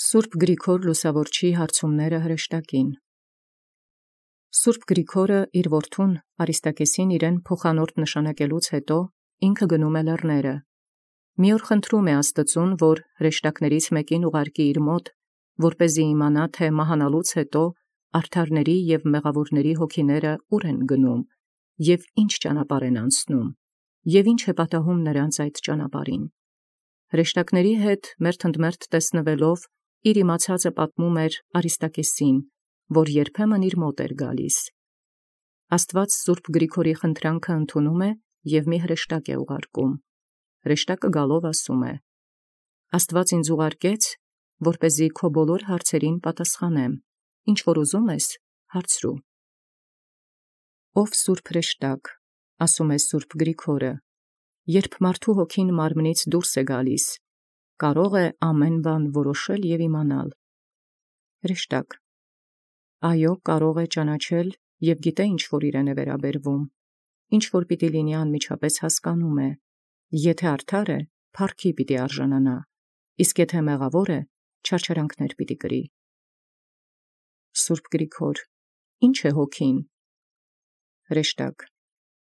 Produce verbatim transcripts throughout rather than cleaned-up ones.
Սուրբ Գրիգոր Լուսավորչի հարցումները հրեշտակին։ Սուրբ Գրիգորը իր որդուն Արիստակեսին իրեն փոխանորդ նշանակելուց հետո ինքը գնում է լեռները։ Մի օր խնդրում է Աստծուն, որ հրեշտակներից մեկին ուղարկի իր մոտ, որպեսզի իմանա, թե մահանալուց հետո արդարների և մեղավորների հոգիները ուր են գնում, և ինչ ճանապարհ են անցնում, և ինչ է պատահում նրանց այդ ճանապարհին։ Հրեշտակների հետ մերթընդմերթ տեսնվելով, իր իմացածը պատմում էր Արիստակեսին, որ երբեմն իր մոտ էր գալիս։ Աստված Սուրբ Գրիգորի խնդրանքը ընդունում է և մի հրեշտակ է ուղարկում։ Հրեշտակը գալով ասում է. «Աստված ինձ ուղարկեց, որպեսզի քո բոլոր հարցերին պատասխանեմ, ինչ որ ուզում ես, հարցրու»։ «Ով սուրբ հրեշտակ, ասում է Սուրբ Գրիգորը, երբ մարդու հոգին մարմնից դուրս է գալիս, կարող է ամեն բան որոշել և իմանալ»։ Հրեշտակ. «Այո, կարող է ճանաչել և գիտե ինչ որ իրեն է վերաբերվում, ինչ որ պիտի լինի անմիջապես հասկանում է, եթե արդար է, փառքի պիտի արժանանա, իսկ եթե մեղավոր է, չարչարանքներ պիտի կրի»։ Սուրբ Գրիգոր. «Ինչ է հոգին»։ Հրեշտակ.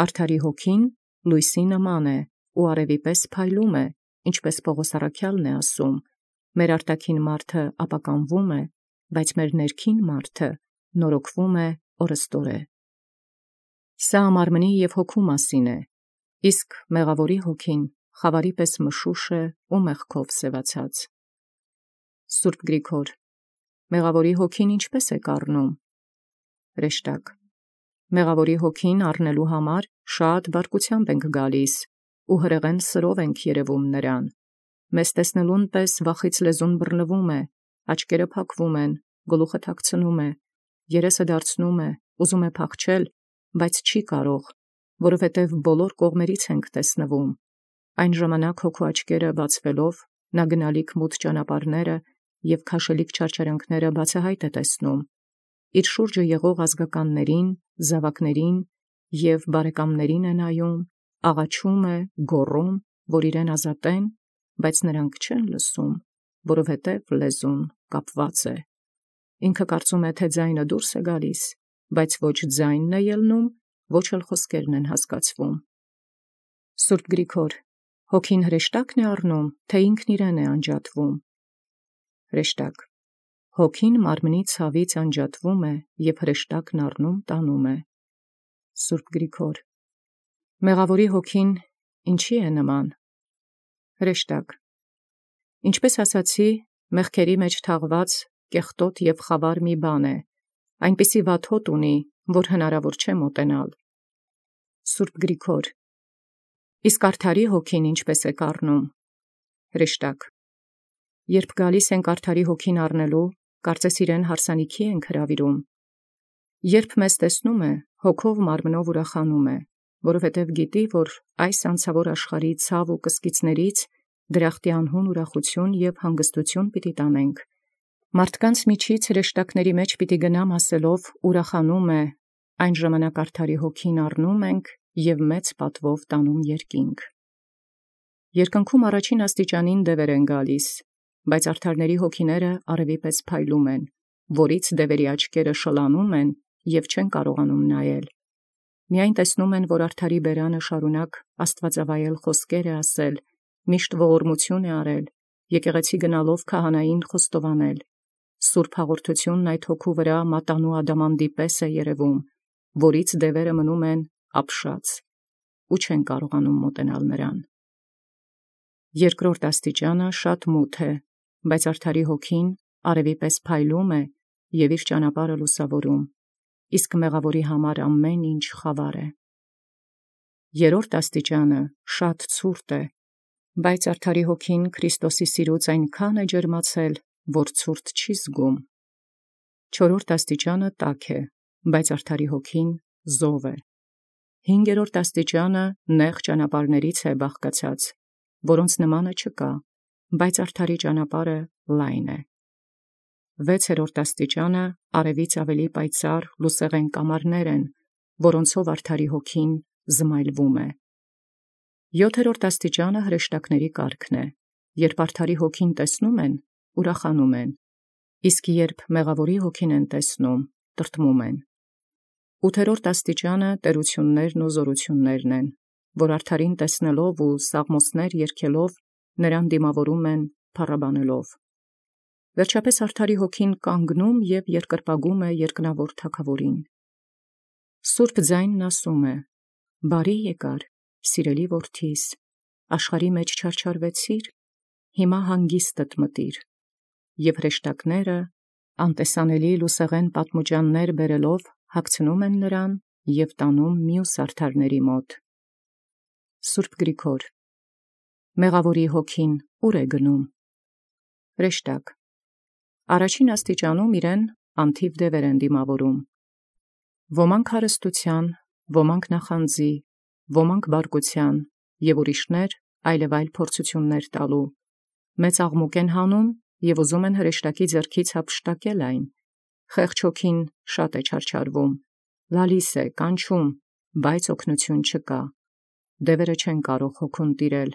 «Արդարի հոգին լույսի նման է ու արևի պես փայլում է, ինչպես Պողոս առաքյալն է ասում. մեր արտաքին մարդը ապականվում է, բայց մեր ներքին մարդը նորոգվում է օրըստօրե։ Սա մարմնի և հոգու մասին է, իսկ մեղավորի հոգին խավարի պես մշուշ է ու մեղքով սևացած»։ Սուրբ Գրիգոր. «Մեղավորի հոգին ինչպե՞ս եք առնում»։ Հրեշտակ. «Մեղավորի հոգին առնելու համար շատ բարկությամբ ենք գալիս ու հրեղեն սրով ենք երևում նրան։ Մեզ տեսնելուն պես վախից լեզուն բռնվում է, աչքերը փակվում են, գլուխը թաքցնում է, երեսը դարձնում է, ուզում է փախչել, բայց չի կարող, որովհետև բոլոր կողմերից ենք տեսնվում։ Այն ժամանակ հոգու աչքերը բացվելով, նա գնալիք մութ ճանապարհները և քաշելիք չարչարանքները բացահայտ է տեսնում։ Իր շուրջը եղող ազգականներին, զավակներին և բարեկամներին է նայում, աղաչում է, գոռում, որ իրեն ազատեն, բայց նրանք չեն լսում, որովհետև լեզուն կապված է։ Ինքը կարծում է, թե ձայնը դուրս է գալիս, բայց ոչ ձայնն է ելնում, ոչ էլ խոսքերն են հասկացվում»։ Սուրբ Գրիգոր. «Հոգին հրեշտակն է առնում, թե ինքն իրեն է անջատվում»։ Հրեշտակ. «Հոգին մարմնի ցավից անջատվում է և հրեշտակն առնում տանում է»։ Սուրբ Գրիգոր. «Մեղավորի հոգին ինչի է նման»։ Հրեշտակ. «Ինչպես ասացի, մեղքերի մեջ թաղված կեղտոտ և խավար մի բան է, այնպիսի վատ հոտ ունի, որ հնարավոր չէ մոտենալ»։ Սուրբ Գրիգոր. «Իսկ արդարի հոգին ինչպես եք առնում»։ Հրեշտակ. «Երբ գալիս ենք արդարի հոգին առնելու, կարծես իրեն հարսանիքի ենք հրավիրում։ Երբ մեզ տեսնում է, հոգով մարմնով ուրախանում է, որովհետև գիտի, որ այս անցավոր աշխարհի ցավ ու կսկիծներից դրախտի անհուն ուրախություն և հանգստություն պիտի տանենք։ Մարդկանց միջից հրեշտակների մեջ պիտի գնամ ասելով ուրախանում է, այն ժամանակ արդարի հոգին առնում ենք և մեծ պատվով տանում երկինք։ Երկնքում առաջին աստիճանին դևեր են գալիս, բայց արդարների հոգիները արևի պես փայլում են, որից դևերի աչքերը շլանում են և չեն կարողանում նայել։ Միայն տեսնում են, որ արդարի բերանը շարունակ աստվածավայել խոսքեր է ասել, միշտ ողորմություն է արել, եկեղեցի գնալով քահանային խոստովանել։ Սուրբ հաղորդությունն այդ հոգու վրա մատանու ադամանդի պես է երևում, որից դևերը մնում են ապշած ու չեն կարողանում մոտենալ նրան։ Երկրորդ աստիճանը շատ մութ է, բայց արդարի հոգին արևի պես փայլում է և իր ճանապարհը լուսավորում, իսկ մեղավորի համար ամեն ինչ խավար է։ Երրորդ աստիճանը շատ ցուրտ է, բայց արդարի հոգին Քրիստոսի սիրուց այնքան է ջերմացել, որ ցուրտ չի զգում։ Չորրորդ աստիճանը տաք է, բայց արդարի հոգին զով է։ Հինգերորդ աստիճանը նեղ ճանապարհներից է բաղկացած, որոնց նմանը չկա, բայց արդարի ճանապարհը լայն է։ Վեցերորդ աստիճանը արևից ավելի պայծառ լուսեղեն կամարներ են, որոնցով արդարի հոգին զմայլվում է։ Յոթերորդ աստիճանը հրեշտակների կարգն է, երբ արդարի հոգին տեսնում են, ուրախանում են, իսկ երբ մեղավորի հոգին են տեսնում, տրտմում են։ Ութերորդ աստիճանը տերություններն ու զորություններն են, որ արդարին տեսնելով ու սաղմոսներ երգելով նրան դիմավորում են փառաբանելով։ Վերջապես արդարի հոգին կանգնում և երկրպագում է երկնավոր թագավորին։ Սուրբ ձայնն ասում է. «Բարի եկար, սիրելի որդիս, աշխարհի մեջ չարչարվեցիր, հիմա հանգիստդ մտիր»։ Եվ հրեշտակները անտեսանելի լուսեղեն պատմուջաններ բերելով հագցնում են նրան և տանում մյուս արդարների մոտ։ Սուրբ Գրիգոր. մեղավորի հոգին ուր է գնում։ Հրեշտակ. առաջին աստիճանում իրեն անթիվ դևեր են դիմավորում։ Ոմանք հարստության, ոմանք նախանձի, ոմանք բարկության և ուրիշներ այլևայլ փորձություններ տալու, մեծ աղմուկ են հանում և ուզում են հրեշտակի ձեռքից հափշտակել այն։ Խեղճ հոգին շատ է չարչարվում, լալիս է, կանչում, բայց օգնություն չկա։ Դևերը չեն կարող հոգուն տիրել,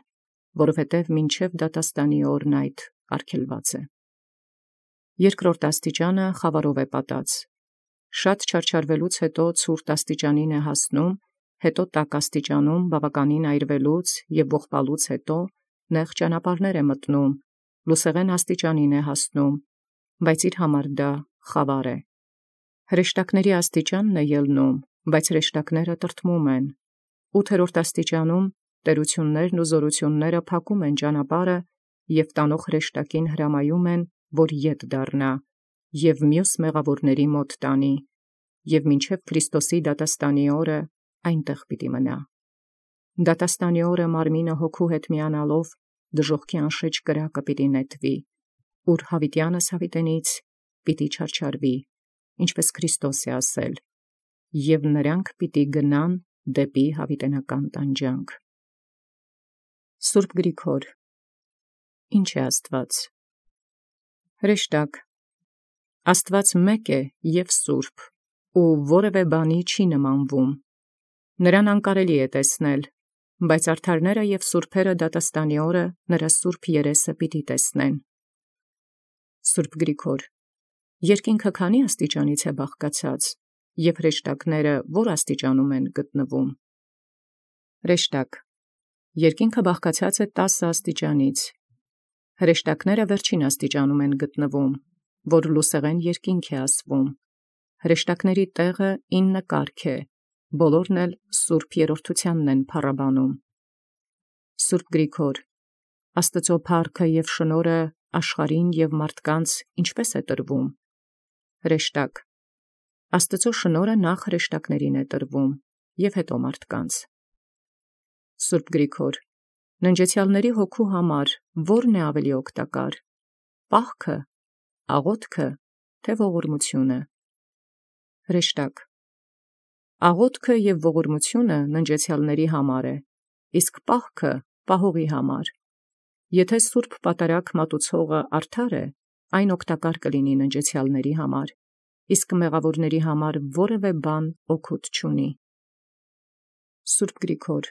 որովհետև մինչև դատաստանի օրն այդ արգելված է։ Երկրորդ աստիճանը խավարով է պատած։ Շատ չարչարվելուց հետո ցուրտ աստիճանին է հասնում, հետո տաք աստիճանում բավականին այրվելուց և ողբալուց հետո նեղ ճանապարհներ է մտնում, լուսեղեն աստիճանին է հասնում, բայց իր համար դա խավար է։ Հրեշտակների աստիճանն է ելնում, բայց հրեշտակները տրտմում են։ Ութերորդ աստիճանում տերություններն ու զորությունները փակում են ճանապարհը և տանող հրեշտակին հրամայում են, որ ետ դառնա և մյուս մեղավորների մոտ տանի, և մինչև Քրիստոսի դատաստանի օրը այնտեղ պիտի մնա։ Դատաստանի օրը մարմինը հոգու հետ միանալով դժոխքի անշեջ կրակը պիտի նետվի, ուր հավիտյանս հավիտենից պիտի չարչարվի, ինչպես Քրիստոս է ասել, և նրանք պիտի գնան դեպի հավիտենական տանջանք։ Սուրբ Գրիգոր. ի՞նչ է Աստված։ Հրեշտակ. Աստված մեկ է և սուրբ, ու որևէ բանի չի նմանվում։ Նրան անկարելի է տեսնել, բայց արդարները և սուրբերը դատաստանի օրը նրա սուրբ երեսը պիտի տեսնեն։ Սուրբ Գրիգոր. երկինքը քանի աստիճանից է բաղկացած, և հրեշտակները որ աստիճանում են գտնվում։ Հրեշտակ. երկինքը բաղկացած է տասը աստիճանից։ Հրեշտակները վերջին աստիճանում են գտնվում, որ լուսեղեն երկինք է ասվում։ Հրեշտակների տեղը ինը կարգ է, բոլորն էլ սուրբ երրորդությանն են փառաբանում։ Սուրբ Գրիգոր. Աստծո փառքը և շնորհը աշխարհին և մարդկանց ինչպե՞ս է տրվում։ Հրեշտակ. Աստծո շնորհը նախ հրեշտակներին է տրվում և հետո մարդկանց։ Սուրբ Գրիգոր. ննջեցյալների հոգու համար ո՞րն է ավելի օգտակար, պահքը, աղոթքը, թե ողորմությունը։ Հրեշտակ. աղոթքը և ողորմությունը ննջեցյալների համար է, իսկ պահքը պահողի համար։ Եթե սուրբ պատարագ մատուցողը արդար է, այն օգտակար կլինի ննջեցյալների համար, իսկ մեղավորների համար որևէ բան օգուտ չունի։ Սուրբ Գրիգոր.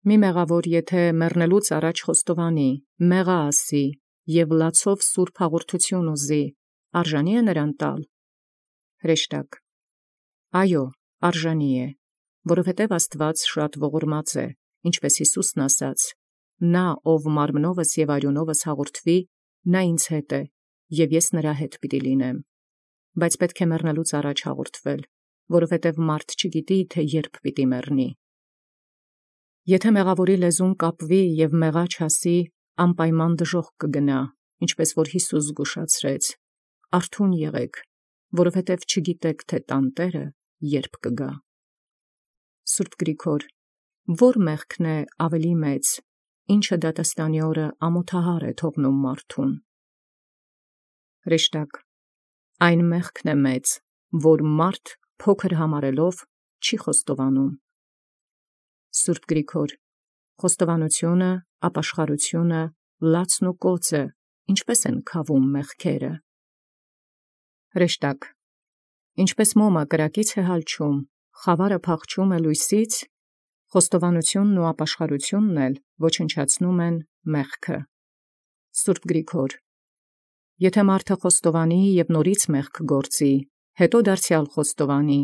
մի մեղավոր եթե մեռնելուց առաջ խոստովանի, մեղա ասի և լացով սուրբ հաղորդություն ուզի, արժանի՞ է նրան տալ։ Հրեշտակ. այո, արժանի է, որովհետև Աստված շատ ողորմած է, ինչպես Հիսուսն ասաց. նա, ով մարմնովս և արյունովս հաղորդվի, նա ինձ հետ է, և ես նրա հետ պիտի լինեմ։ Բայց պետք է մեռնելուց առաջ հաղորդվել, որովհետև մարդ չգիտի, թե երբ պիտի մեռնի։ Եթե մեղավորի լեզուն կապվի և մեղա չասի, անպայման դժոխք կգնա, ինչպես որ Հիսուս զգուշացրեց. արթուն եղեք, որովհետև չգիտեք, թե տանտերը երբ կգա։ Սուրբ Գրիգոր. ո՞ր մեղքն է ավելի մեծ, ինչը դատաստանի օրը ամոթահար է թողնում մարդուն։ Հրեշտակ. այն մեղքն է մեծ, որ մարդ փոքր համարելով չի խոստովանում։ Սուրբ Գրիգոր. խոստովանությունը, ապաշխարությունը, լացն ու կոծը ինչպե՞ս են քավում մեղքերը։ Հրեշտակ. ինչպես մոմը կրակից է հալչում, խավարը փախչում է լույսից, խոստովանությունն ու ապաշխարությունն էլ ոչնչացնում են մեղքը։ Սուրբ Գրիգոր. Եթե մարդը խոստովանի և նորից մեղք գործի, հետո դարձյալ խոստովանի,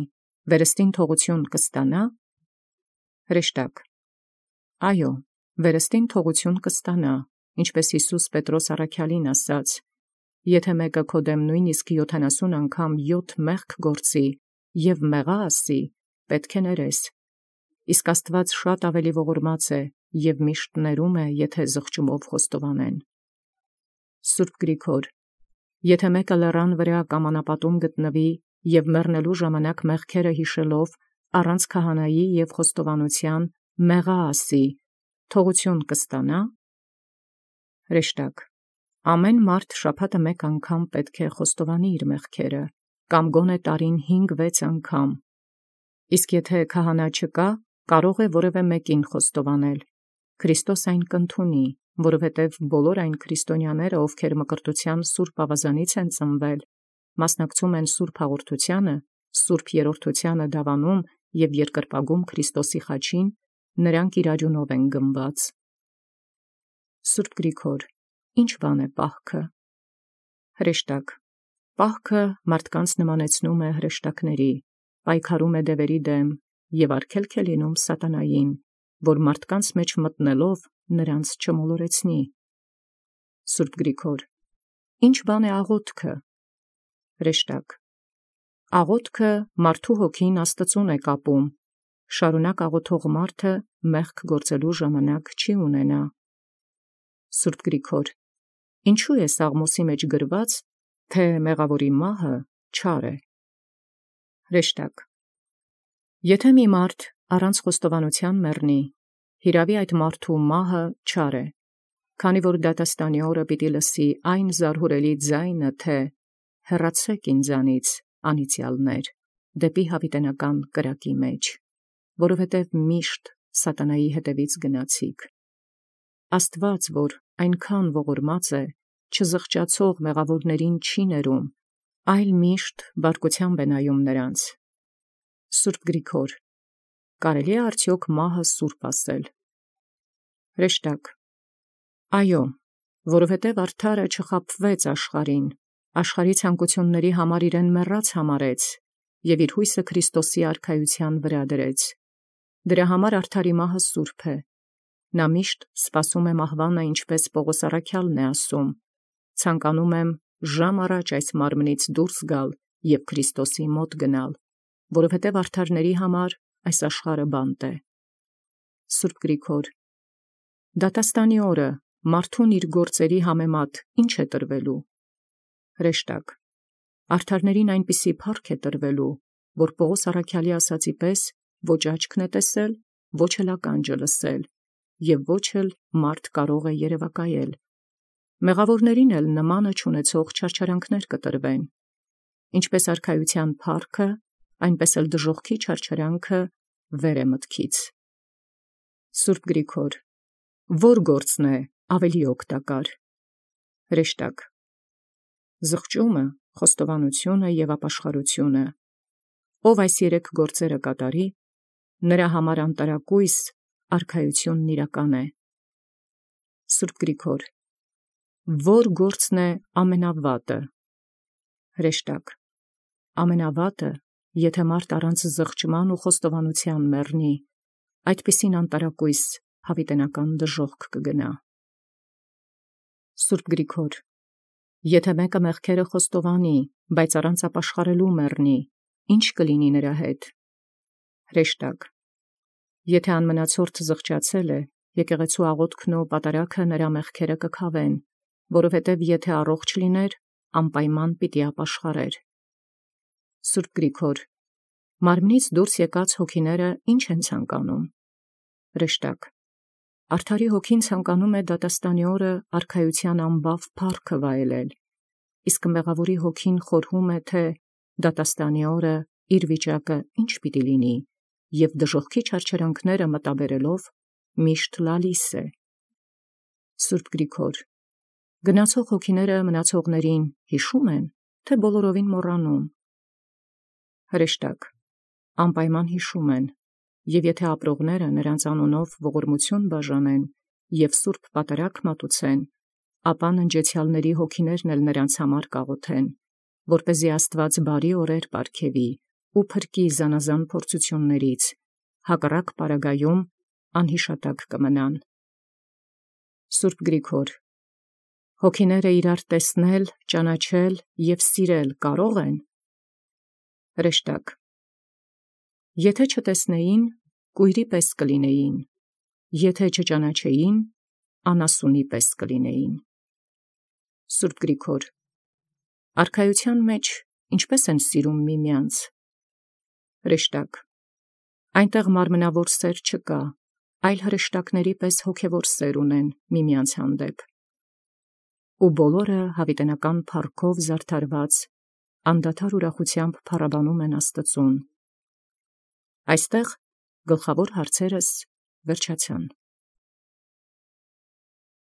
վերստին թողություն կստանա։ Հրեշտակ. Այո, վերստին թողություն կստանա, ինչպես Հիսուս Պետրոս առաքյալին ասաց. եթե մեկը քո դեմ նույնիսկ յոթանասուն անգամ յոթ մեղք գործի և մեղա ասի, պետք է ներես։ Իսկ Աստված շատ ավելի ողորմած է և միշտ ներում է, եթե զղջումով խոստովանեն։ Սուրբ Գրիգոր, եթե մեկը լեռան վրա կամ անապատում գտնվի և մեռնելու ժամանակ մեղքերը հիշելով առանց քահանայի և խոստովանության մեղա ասի, թողություն կստանա։ Հրեշտակ. ամեն մարդ շաբաթը մեկ անգամ պետք է խոստովանի իր մեղքերը, կամ գոնե տարին հինգ-վեց անգամ։ Իսկ եթե քահանա չկա, կարող է որևէ մեկին խոստովանել։ Քրիստոս այն կընդունի, որովհետև բոլոր այն քրիստոնյաները, ովքեր մկրտության սուրբ ավազանից են ծնվել, մասնակցում են սուրբ հաղորդությանը, սուրբ երրորդությանը դավանում և երկրպագում Քրիստոսի խաչին, նրանք իր արյունով են գնված։ Սուրբ Գրիգոր, ի՞նչ բան է պահքը։ Հրեշտակ. պահքը մարդկանց նմանեցնում է հրեշտակների, պայքարում է դևերի դեմ և արգելք է լինում սատանային, որ մարդկանց մեջ մտնելով նրանց չմոլորեցնի։ Սուրբ Գրիգոր, ի՞նչ բան է աղոթքը։ Հրեշտակ. աղոթքը մարդու հոգին Աստծուն է կապում, շարունակ աղոթող մարդը մեղք գործելու ժամանակ չի ունենա։ Սուրբ Գրիգոր, ինչու է Սաղմոսի մեջ գրված, թե մեղավորի մահը չար է։ Հրեշտակ. եթե մի մարդ առանց խոստովանության մեռնի, հիրավի այդ մարդու մահը չար է, քանի որ դատաստանի օրը պիտի լսի այն զարհուրելի ձայնը, թե հեռացե՛ք ինձանից, անիծյալներ, դեպի հավիտենական կրակի մեջ, որովհետև միշտ սատանայի հետևից գնացիք։ Աստված, որ այնքան ողորմած է, չզղջացող մեղավորներին չի ներում, այլ միշտ բարկությամբ է նայում նրանց։ Սուրբ Գրիգոր, կարելի է արդյոք մահը սուրբ ասել։ Հրեշտակ. այո, որովհետև արդարը չխաբվեց աշխարհին, աշխարհի ցանկությունների համար իրեն մեռած համարեց և իր հույսը Քրիստոսի արքայության վրա դրեց։ Դրա համար արդարի մահը սուրբ է։ Նա միշտ սպասում է մահվանը, ինչպես Պողոս առաքյալն է ասում. ցանկանում եմ ժամ առաջ այս մարմնից դուրս գալ և Քրիստոսի մոտ գնալ, որովհետև արդարների համար այս աշխարհը բանտ է։ Սուրբ Գրիգոր, դատաստանի օրը մարդուն իր գործերի համեմատ ի՞նչ է տրվելու։ Հրեշտակ. արդարներին այնպիսի փառք է տրվելու, որ Պողոս առաքյալի ասացի պես ոչ աչքն է տեսել, ոչ էլ ականջը լսել, և ոչ էլ մարդ կարող է երևակայել։ Մեղավորներին էլ նմանը չունեցող չարչարանքներ կտրվեն, ինչպես արքայության փառքը, այնպես էլ դժոխքի չարչարանքը վեր է մտքից։ Սուրբ Գրիգոր, ո՞ր գործն է ավելի օգտակար։ Հրեշտակ. զղջումը, խոստովանությունը և ապաշխարությունը։ Ով այս երեք գործերը կատարի, նրա համար անտարակույս արքայությունն իրական է։ Սուրբ Գրիգոր, ո՞ր գործն է ամենավատը։ Հրեշտակ. ամենավատը, եթե մարդ առանց զղջման ու խոստովանության մեռնի, այդպիսին անտարակույս հավիտենական դժոխք կգնա։ Սուրբ Գրիգոր, եթե մեկը մեղքերը խոստովանի, բայց առանց ապաշխարելու մեռնի, ի՞նչ կլինի նրա հետ։ Հրեշտակ. եթե անմնացորդ զղջացել է, եկեղեցու աղոթքն ու պատարագը նրա մեղքերը կքավեն, որովհետև եթե առողջ լիներ, անպայման պիտի ապաշխարեր։ Սուրբ Գրիգոր, մարմնից դուրս եկած հոգիները ի՞նչ են ցանկանում։ Հրեշտակ. արդարի հոգին ցանկանում է դատաստանի օրը արքայության անբավ փառքը վայելել, իսկ մեղավորի հոգին խորհում է, թե դատաստանի օրը իր վիճակը ինչ պիտի լինի, և դժոխքի չարչարանքները մտաբերելով միշտ լալիս է։ Սուրբ Գրիգոր, գնացող հոգիները մնացողներին հիշո՞ւմ են, թե բոլորովին մոռանում։ Հրեշտակ. անպայման հիշում են, և եթե ապրողները նրանց անունով ողորմություն բաժանեն և սուրբ պատարագ մատուցեն, ապա ննջեցյալների հոգիներն էլ նրանց համար կաղոթեն, որպեսզի Աստուած բարի օրեր պարգևի ու փրկի զանազան փորձություններից, հակառակ պարագայում անհիշատակ կմնան։ Սուրբ Գրիգոր, հոգիները իրար տեսնել, ճանաչել և սիրել կարո՞ղ են։ Հրեշտակ. Եթե չտեսնեին, կույրի պես կլինեին, եթե չճանաչեին, անասունի պես կլինեին։ Սուրբ Գրիգոր, արքայության մեջ ինչպե՞ս են սիրում միմյանց։ Հրեշտակ. այնտեղ մարմնավոր սեր չկա, այլ հրեշտակների պես հոգևոր սեր ունեն միմյանց հանդեպ։ Ու բոլորը հավիտենական փառքով զարդարված անդադար ուրախությամբ փառաբանում են Աստծուն։ Այստեղ գլխավոր հարցերս վերջացան։